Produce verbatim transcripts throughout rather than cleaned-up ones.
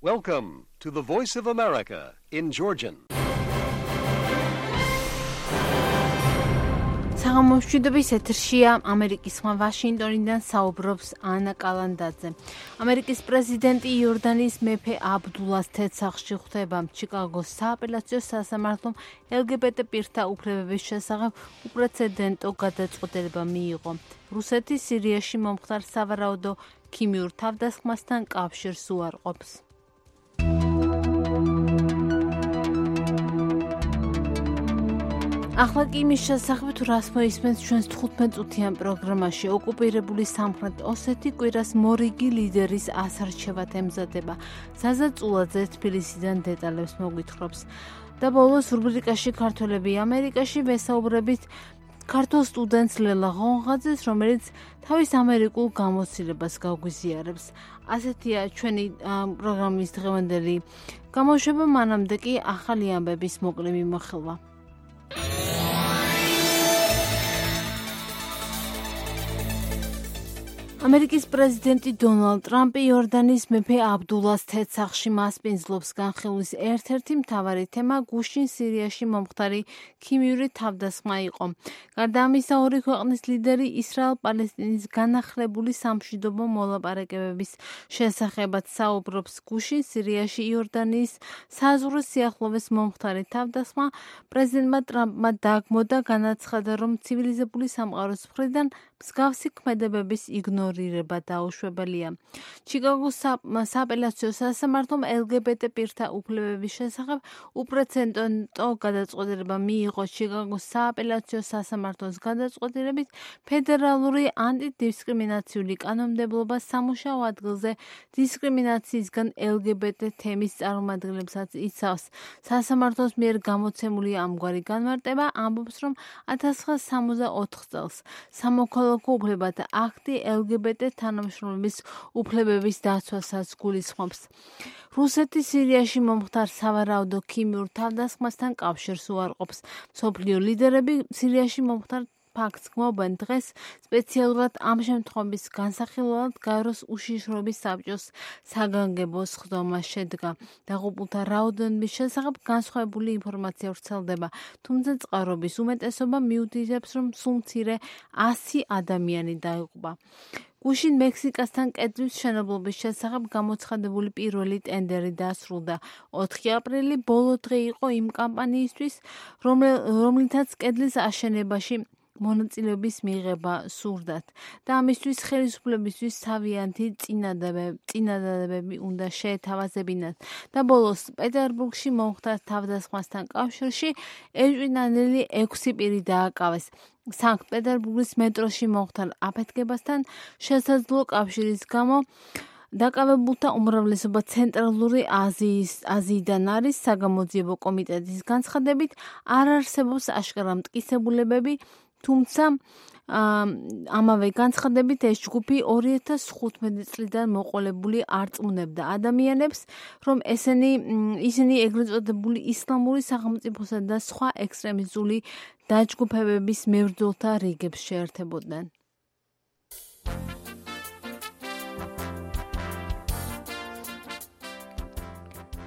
Welcome to the Voice of America in Georgian. საღამომშვიდობის ეთერშია ამერიკის ხმა ვაშინგტონიდან საუბრობს ანა კალანდაძე. ამერიკის პრეზიდენტი იორდანიის მეფე აბდულას თეთრსახში ხვდება. ჩიკაგოს სააპელაციო სასამართლომ ელგბტ პირთა უფლებების შესახებ უპრეცედენტო გადაწყვეტილება მიიღო. რუსეთი სირიაში მომხდარ სავარაუდო ქიმიურ თავდასხმასთან კავშირს უარყოფს. ახლა კი იმის შესახებ თუ რას მოისმენთ ჩვენს თხუთმეტ წუთიან პროგრამაში. ოკუპირებული სამხრეთ ოსეთი კვირას მორიგი ლიდერის ასარჩევად ემზადება. ზაზა წულაძე თბილისიდან დეტალებს მოგვითხრობს. და ბოლოს რუბრიკაში ქართველები ამერიკაში ვესაუბრებით ქართულ სტუდენტს ლელა ღონღაძეს, რომელიც თავის ამერიკულ გამოცდილებას გაგვიზიარებს. ასეთია ჩვენი პროგრამის დღევანდელი გამოშვება, მანამდე კი ახალი ამბების მოკლე მიმოხილვა. ამერიკის პრეზიდენტი დონალდ ტრამპი იორდანიის მეფე აბდულას თეთრსახში მასპინძლობს. განხილვის ერთ-ერთი მთავარი თემა გუშინ სირიაში მომხდარი ქიმიური თავდასხმა იყო. გარდა ამისა, ორი ქვეყნის ლიდერი ისრაელ-პალესტინის განახლებული სამშვიდობო მოლაპარაკებების შესახებაც საუბრობს. გუშინ სირიაში იორდანიის საზღვრის სიახლოვეს მომხდარი თავდასხმა პრეზიდენტმა ტრამპმა დაგმო და განაცხადა, რომ ცივილიზებული სამყაროს მხრიდან მსგავსი ქმედებების იგნორირება დაუშვებელია. ჩიკაგოს სააპელაციო სასამართლომ ელგბტ პირთა უფლებების შესახებ უპრეცედენტო გადაწყვეტილება მიიღო. ჩიკაგოს სააპელაციო სასამართლოს გადაწყვეტილებით ფედერალური ანტიდისკრიმინაციული კანონმდებლობა სამუშაო ადგილზე დისკრიმინაციისგან ელგბტ თემის წარმომადგენლებსაც იცავს. სასამართლოს მიერ გამოცემული ამგვარი განმარტება ამბობს, რომ ათას ცხრაასი სამოცდაოთხ წელს სამოქალაქო უფლებათა აქტი ელგბტ თანამშრომლების უფლებების დაცვასაც გულისხმობს. რუსეთი სირიაში მომხდარ სავარაუდო ქიმიურ თავდასხმასთან კავშირს უარყოფს. მსოფლიო ლიდერები სირიაში მომხდარ ფაქტს გმობენ. დღეს სპეციალურად ამ შემთხვევის განსახილველად გაეროს უშიშროების საბჭოს საგანგებო სხდომა შედგა. დაღუპულთა რაოდენობის შესახებ განსხვავებული ინფორმაცია ვრცელდება, თუმცა წყაროების უმეტესობა მიუთითებს, რომ სულ მცირე ასი ადამიანი დაიღუპა. გუშინ მექსიკასთან კედლის მშენებლობის შესახებ გამოცხადებული პირველი ტენდერი დასრულდა. ოთხი აპრილი ბოლო დღე იყო იმ კამპანიისთვის, რომლითაც კედლის აშენებაში მონაწილეობის მიღება სურდათ და ამისთვის ხელისუფლებისთვის თავიანთი წინადადებები უნდა შეეთავაზებინათ. და ბოლოს პეტერბურგში მომხდარ თავდასხმასთან კავშირში ეჭვინანელი ექვსი პირი დააკავეს. სანქტ-პეტერბურგის მეტროში მომხდარ აფეთქებასთან შესაძლო კავშირის გამო დაკავებულთა უმრავლესობა ცენტრალური აზიის აზიიდან არის. საგამოძიებო კომიტეტის განცხადებით არ არსებობს აშკარა მტკიცებულებები, თუმცა ამავე განცხადებით ეს ჯგუფი ორი ათას თხუთმეტი წლიდან მოყოლებული არწმუნებდა ადამიანებს, რომ ესენი ისინი ეგრეთ წოდებული ისლამური სახელმწიფოსა და სხვა ექსტრემისტული დაჯგუფებების მებრძოლთა რიგებს შეერთებოდნენ.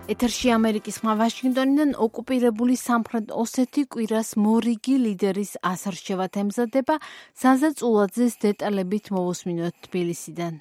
ეთერში ამერიკის ხმა ვაშინგტონიდან ოკუპირებული სამხრეთ ოსეთი კვირას მორიგი ლიდერის ასარჩევად ემზადება. ზაზა წულაძეს დეტალებით მოვუსმინოთ თბილისიდან.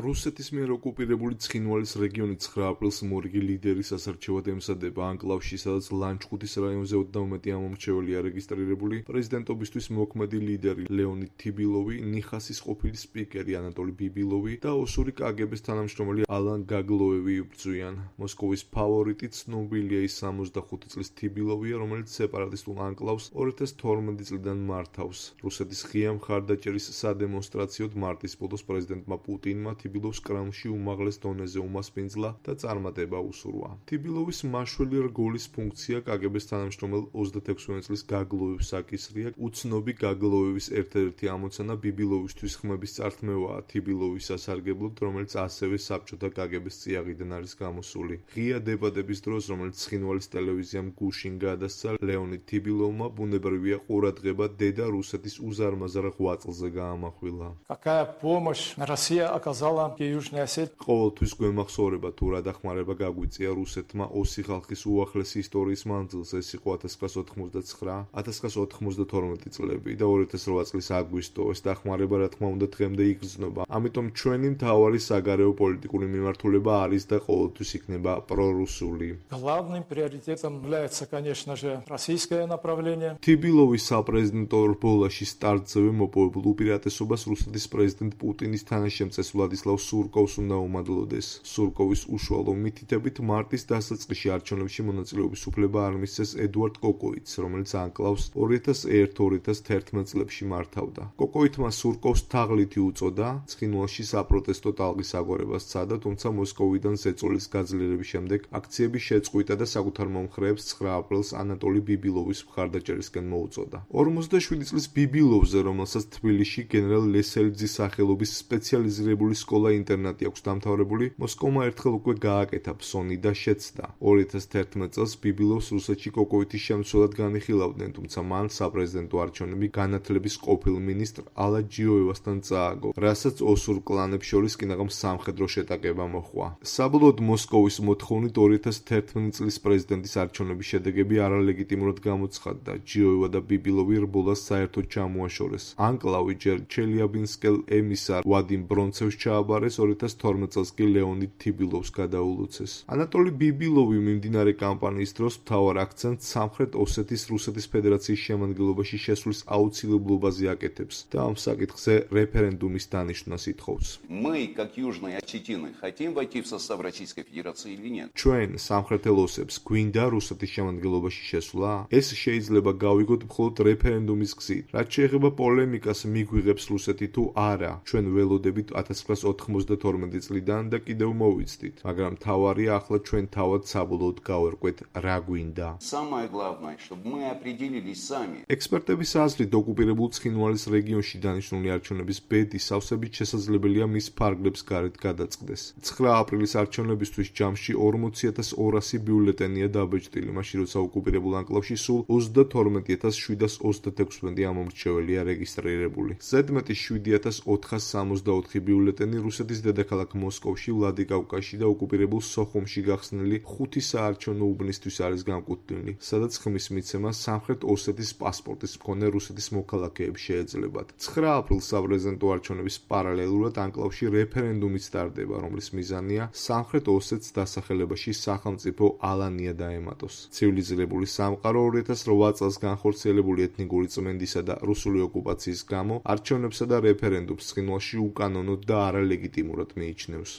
რუსეთის მიერ ოკუპირებული ცხინვალის რეგიონი ცხრა აპრილს მორიგი ლიდერის ასარჩევად ემზადება. ანკლავში, სადაც ლანჩხუთის რაიონზე ოცდაუმეტი ამომრჩეველია რეგისტრირებული, პრეზიდენტობისთვის მოქმედი ლიდერი ლეონიდ თიბილოვი, ნიხასის ყოფილი სპიკერი ანატოლი ბიბილოვი და ოსური კაგბ-ის თანამშრომელი ალან გაგლოევი იბრძვიან. მოსკოვის ფავორიტი ცნობილია ის სამოცდახუთი წლის თიბილოვია, რომელიც სეპარატისტულ ანკლავს ორი ათას თორმეტი წლიდან მართავს. რუსეთის ღია მხარდაჭერის სადემონსტრაციოდ მარტის ბოლოს პრეზიდენტმა პუტინმა თიბილოვს კრემლში უმაღლეს დონეზე უმასპინძლა და წარმატება უსურვა. თიბილოვის მაშველი რგოლის ფუნქცია კაგბ-ის თანამშრომელ ოცდაექვსი წლის გაგლოევს აკისრია. უცნობი გაგლოევის ერთ-ერთი ამოცანა ბიბილოვისთვის ხმების წართმევაა თიბილოვის სასარგებლოდ, რომელიც ასევე საბჭოთა კაგბ-ის წიაღიდან არის გამოსული. ღია დებატების დროს, რომელიც ცხინვალის ტელევიზიამ გუშინ გადასცა, ლეონიდ თიბილოვმა ბუნებრივია ყურადღება დედა რუსეთის უზარმაზარ ღვაწლზე გაამახვილა. Какая помощь Россия оказала сказала Южная Осетия. ყოველთვის გვემახსოვრება თუ რა დახმარება გაგვიწია რუსეთმა ოსი ხალხის უახლესი ისტორიის მანძილზე, ეს იყო ათას ცხრაასა ოთხმოცდაცხრა ათას ცხრაასა ოთხმოცდათორმეტი წლები და ორი ათას რვა წლის აგვისტო. ეს დახმარება რა თქმა უნდა დღემდე იგრძნობა. ამიტომ ჩვენი მთავარი საგარეო პოლიტიკური მიმართულება არის და ყოველთვის იქნება პრორუსული. Главным приоритетом является, конечно же, российское направление. თიბილოვის საპრეზიდენტო რბოლაში სტარტზევე მოპოვებულ უპირატესობას რუსეთის პრეზიდენტ პუტინის თანაშემწეს ვლადისლავ სურკოვს უნდა უმადლოდეს. სურკოვის უშუალო მითითებით მარტის დასაწყისში არჩევნებში მონაწილეობის უფლება არ მისცეს ედუარდ კოკოიტს, რომელიც ანკლავს ორი ათას ერთ ორი ათას თერთმეტ წლებში მართავდა. კოკოიტმა სურკოვს თაღლითი უწოდა, ცხინვალში საპროტესტო ტალღის აგორებას სცადა, თუმცა მოსკოვიდან ზეწოლის გაძლიერების შემდეგ აქციები შეწყვიტა და საკუთარ მომხრეებს ცხრა აპრილს ანატოლი ბიბილოვის მხარდაჭერისკენ მოუწოდა. ორმოცდაშვიდი წლის ბიბილოვზე, რომელსაც თბილისში გენერალ ლესელიძის სახელობის სპეციალიზირებული სკოლა-ინტერნატი აქვს დამთავრებული, მოსკოვმა ერთხელ უკვე გააკეთა ფსონი და შეცდა. ორი ათას თერთმეტ წელს ბიბილოვს რუსეთში კოკოიტის შემცველად განიხილავდნენ, თუმცა მან საპრეზიდენტო არჩევნები განათლების ყოფილ მინისტრ ალა ჯიოევასთან წააგო, რასაც ოსურ კლანებს შორის კინაღამ სამხედრო შეტაკება მოჰყვა. საბოლოოდ მოსკოვის მოთხოვნით ორი ათას თერთმეტ წლის პრეზიდენტის არჩევნების შედეგები არალეგიტიმურად გამოცხადდა. ჯიოევა და ბიბილოვი რბოლას საერთოდ ჩამოაშორეს. ანკლავი ჯერ ჩელიაბინსკელ ემისარ ვადიმ ბრონცევს ჩააბარეს, ორი ათას თორმეტ წელს კი ლეონიდ თიბილოვს გადაულოცეს. ანატოლი ბიბილოვი მიმდინარე კამპანიის დროს მთავარ აქცენტს სამხრეთ ოსეთის რუსეთის ფედერაციის შემადგენლობაში შესვლის აუცილებლობაზე აკეთებს და ამ საკითხზე რეფერენდუმის დანიშვნას ითხოვს. Мы, как южные осетины, хотим войти в состав Российской Федерации или нет? ჩვენ სამხრეთელ ოსებს გვინდა რუსეთის შემადგენლობაში შესვლა? ეს შეიძლება გავიგოთ მხოლოდ რეფერენდუმის გზით. რაც შეეხება პოლემიკას მიგვიღებს რუსეთი თუ არა, ჩვენ ველოდებით ათას ცხრაასა ოთხმოცდათორმეტი წლიდან და კიდევ მოვიცდით, მაგრამ თავარია ახლა ჩვენ თავად საბოლოოდ გავერკვეთ რა გვინდა. Самое главное, чтобы мы определились сами. ექსპერტების აზრით, ოკუპირებულ ცხინვალის რეგიონში დანიშნული არჩევნების ბედი სავსებით შესაძლებელია მის ფარგლებს გარეთ გადაწყდეს. ცხრა აპრილის არჩევნებისთვის ჯამში ორმოცი ათას ორასი ბიულეტენია დაბეჭდილი, მაშინ როცა ოკუპირებულ ანკლავში სულ ოცდათორმეტი ათას შვიდას ოცდათექვსმეტი ამომრჩეველია რეგისტრირებული. ზედმეტი შვიდი ათას ოთხას სამოცდაოთხი ბიულეტენი რუსეთის დედაქალაქ მოსკოვში, ვლადიკავკაზში და ოკუპირებულ სოხუმში გახსნილი ხუთი საარჩევნო უბნისთვის არის განკუთვნილი, სადაც ხმის მიცემა სამხრეთ ოსეთის პასპორტის მქონე რუსეთის მოქალაქეებს შეეძლებათ. ცხრა აპრილს საპრეზიდენტო არჩევნების პარალელურად ანკლავში რეფერენდუმიც ტარდება, რომლის მიზანია სამხრეთ ოსეთს დასახელებაში სახელმწიფო ალანია დაემატოს. ცივილიზირებული სამყარო ორი ათას რვა წელს განხორციელებული ეთნიკური წმენდისა და რუსული ოკუპაციის გამო არჩევნებსა და რეფერენდუმს ცხინვალში უკანონოდ და არალეგიტიმურად მიიჩნევს.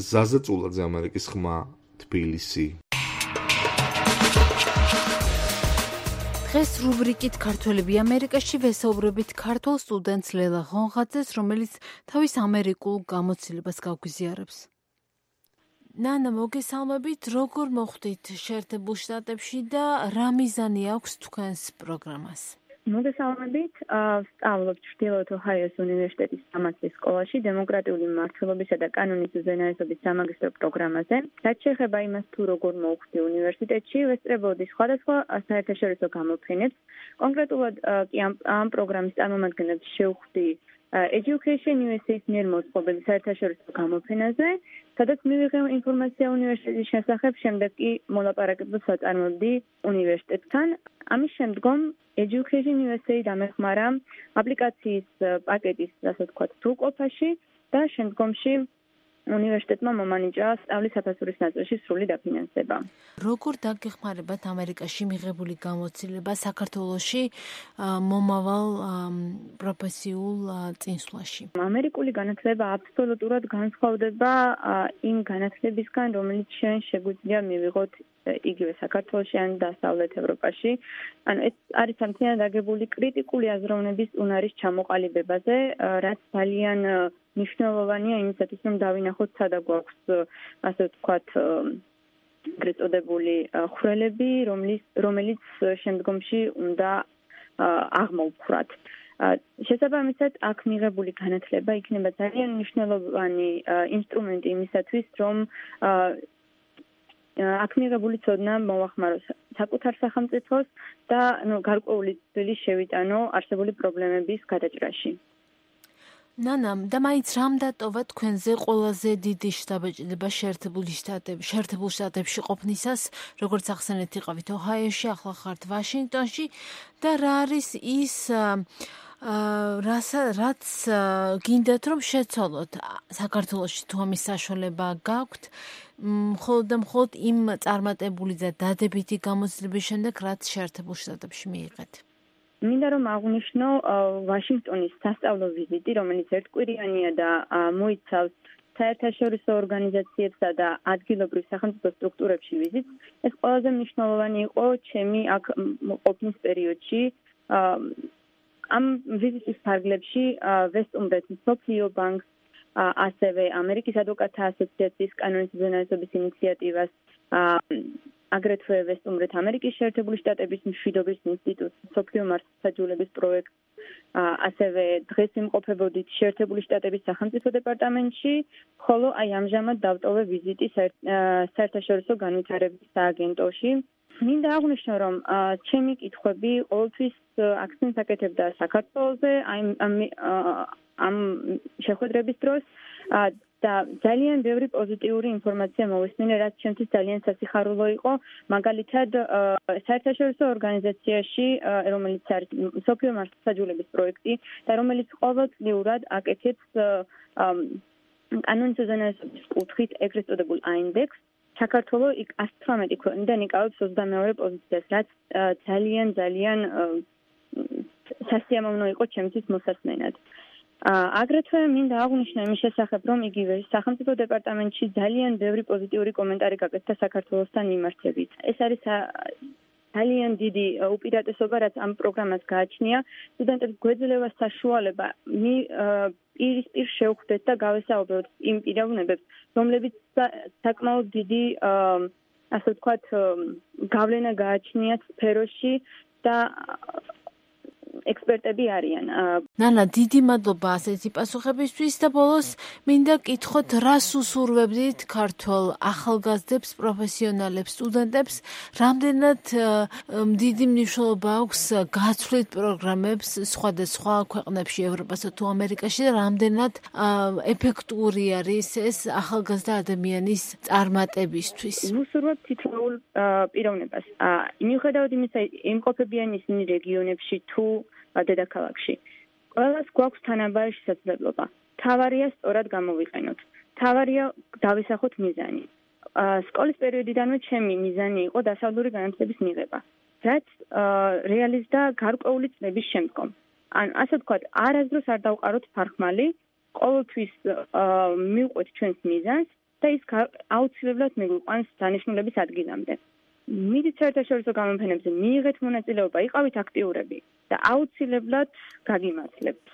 ზაზა წულაძე, ამერიკის ხმა, თბილისი. დღეს რუბრიკით ქართველები ამერიკაში ვესაუბრებით ქართულ სტუდენტს ლელა ღონღაძეს, რომელიც თავის ამერიკულ გამოცდილებას გაგვიზიარებს. ნანა, მოგესალმებით, როგორ მოხვდით შეერთებულ შტატებში და რა მიზანი აქვს თქვენს პროგრამას? მოგესალმებით, სწავლობ ჩრდილოეთ ოჰაიოს უნივერსიტეტის სამართლის სკოლაში დემოკრატიული მმართველობისა და კანონის უზენაესობის სამაგისტრო პროგრამაზე. რაც შეეხება იმას, თუ როგორ მოვხვდი უნივერსიტეტში, ვესწრებოდი სხვადასხვა საერთაშორისო გამოფენებს. კონკრეტულად კი ამ პროგრამის წარმომადგენლებს შევხვდი Education U S A-ის მიერ მოწყობილ საერთაშორისო გამოფენაზე, სადაც მივიღე ინფორმაცია უნივერსიტეტის შესახებ, შემდეგ კი მოლაპარაკებებს ვაწარმოებდი უნივერსიტეტთან. ამის შემდგომ Education U S A დამეხმარა აპლიკაციის პაკეტის, ასე ვთქვათ, სრულყოფაში და შემდგომში უნივერსიტეტმა მომანიჭა სწავლის საფასურის ნაწილში სრული დაფინანსება. როგორ დაგეხმარებათ ამერიკაში მიღებული გამოცდილება საქართველოში მომავალ პროფესიულ წინსვლაში? ამერიკული განათლება აბსოლუტურად განსხვავდება იმ განათლებისგან, რომელიც ჩვენ შეგვიძლია მივიღოთ იგივე საქართველოში ან დასავლეთ ევროპაში. ანუ ეს არის სამთლიანად აგებული კრიტიკული აზროვნების უნარის ჩამოყალიბებაზე, რაც ძალიან მნიშვნელოვანია იმისათვის, რომ დავინახოთ, სადა გვაქვს, ასე ვთქვათ, ეგრეთ წოდებული ხვრელები, რომელიც რომელიც შემდგომში უნდა აღმოვფხვრათ. შესაბამისად, აქ მიღებული განათლება იქნება ძალიან მნიშვნელოვანი ინსტრუმენტი იმისათვის, რომ აქ მიღებული ცოდნა მოახმაროს საკუთარ სახელმწიფოს და ნუ გარკვეული წვლილი შევიტანო არსებული პრობლემების გადაჭრაში. ნანა, და მაინც რამ დატოვა თქვენზე ყველაზე დიდი შთაბეჭდილება შეერთებული შტატებში, შეერთებულ შტატებში ყოფნისას, როგორც ახსენეთ იყავით ოჰაიოში, ახლა ხართ ვაშინგტონში და რა არის ის რაც რაც გინდათ რომ შეცვალოთ საქართველოში თუ ამის საშუალება გაქვთ, მხოლოდ და მხოლოდ იმ წარმატებული და დადებითი გამოცდილების შემდეგ, რაც შეერთებულ შტატებში მიიღეთ. მინდა რომ აღვნიშნო ვაშინგტონის სასწავლო ვიზიტი, რომელიც ერთკვირიანია და მოიცავს საერთაშორისო ორგანიზაციებსა და ადგილობრივ სახელმწიფო სტრუქტურებში ვიზიტს. ეს ყველაზე მნიშვნელოვანი იყო ჩემი აქ ყოფნის პერიოდში. ამ ვიზიტის ფარგლებში ვესტუმრეთ მსოფლიო ბანკს, ასევე ამერიკის ადვოკატთა ასოციაციის კანონის უზენაესობის ინიციატივას, აგრეთვე ვესტუმრეთ ამერიკის შეერთებული შტატების მშვიდობის ინსტიტუტს, მსოფლიო მართლმსაჯულების პროექტს, ასევე დღეს იმყოფებოდით შეერთებული შტატების სახელმწიფო დეპარტამენტში, ხოლო აი ამჟამად დავტოვე ვიზიტი საერთაშორისო განვითარების სააგენტოში. მინდა აღვნიშნო, რომ ჩემი კითხვები ყოველთვის აქცენტს აკეთებდა საქართველოზე, ამ შეხვედრების დროს და ძალიან ბევრი პოზიტიური ინფორმაცია მოვისმინე, რაც ჩემთვის ძალიან სასიხარულო იყო. მაგალითად, საერთაშორისო ორგანიზაციაში, რომელიც არის მსოფლიო მართლმსაჯულების პროექტი და რომელიც ყოველწლიურად აკეთებს კანონის უზენაესობის კუთხით ეგრეთ წოდებულ აინდექსს, საქართველოს იქ ათს თვრამეტი ქვეყნიდან იკავებს ოცდამეორე პოზიციას, რაც ძალიან ძალიან სასიამოვნო იყო ჩემთვის მოსასმენად. აგრეთვე მინდა აღვნიშნო იმის შესახებ, რომ იგივე სახელმწიფო დეპარტამენტში ძალიან ბევრი პოზიტიური კომენტარი გაკეთდა საქართველოსთან მიმართებით. ეს არის ძალიან დიდი უპირატესობა, რაც ამ პროგრამას გააჩნია. სტუდენტებს გვეძლევა საშუალება პირისპირ შევხვდეთ და გავესაუბროთ იმ პიროვნებებს, რომლებიც საკმაოდ დიდი, ასე ვთქვათ, გავლენა გააჩნიათ სფეროში და ექსპერტები არიან. ნანა, დიდი მადლობა ასეთი პასუხებისთვის და ბოლოს მინდა კითხოთ, რას უსურვებდით ქართველ ახალგაზრდებს, პროფესიონალებს, სტუდენტებს, რამდენად დიდი მნიშვნელობა აქვს გაცვლით პროგრამებს სხვადასხვა ქვეყნებში, ევროპასა თუ ამერიკაში და რამდენად ეფექტური არის ეს ახალგაზრდა ადამიანის წარმატებისთვის. ვუსურვებ თითოეულ პიროვნებას. მიუხედავად იმისა, იმყოფებიან ისინი რეგიონებში თუ დედაქალაქში. ყველას გვაქვს თანაბარი შესაძლებლობა. თავარია სწორად გამოვიყენოთ. თავარია დავისახოთ მიზანი. სკოლის პერიოდიდანვე ჩემი მიზანი იყო დასავლური განათლების მიღება, რაც რეალიზდა გარკვეული წლების შემდგომ. ან ასე ვთქვათ, არასდროს არ დავყაროთ ფარხმალი, ყოველთვის მივყვეთ ჩვენს მიზანს და ის აუცილებლად მიგვიყვანს დანიშნულების ადგილამდე. მიდით საერთაშორისო გამოფენებზე მიიღეთ მონაწილეობა, იყავით აქტიურები და აუცილებლად გაგიმართლებთ.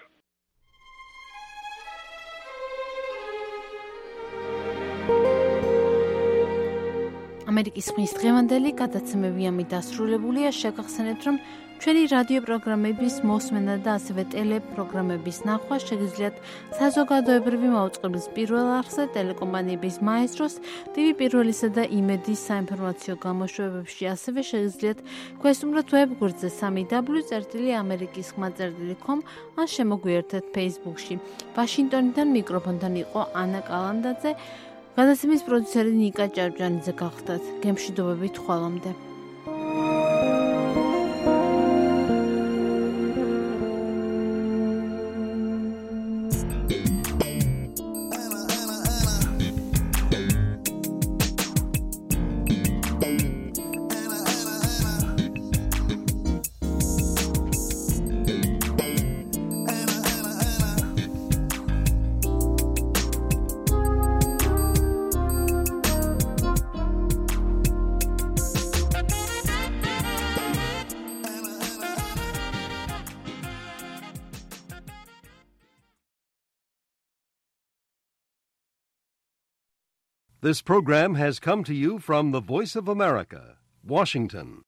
ამერიკის ხმის დღევანდელი გადაცემები ამით დასრულებულია. შეგახსენებთ, რომ ჩვენი რადიო პროგრამების მოსმენა და ასევე ტელეპროგრამების ნახვა შეგიძლიათ საზოგადოებრივი მაუწყებლის პირველ არხზე, ტელეკომპანიების მაესტროს, ტივი პირველისა და იმედის საინფორმაციო გამოშვებებში, ასევე შეგიძლიათ გვესტუმროთ ვებგვერდზე სამი დაბლიუ წერტილი ამერიკის ხმა წერტილი com ან შემოგვიერთეთ Facebook-ში. ვაშინგტონიდან მიკროფონთან იყო ანა კალანდაძე. გადაცემის პროდიუსერი ნიკა ჭავჭანიძე გახდათ. გემშვიდობებით ხვალამდე. This program has come to you from the Voice of America, Washington.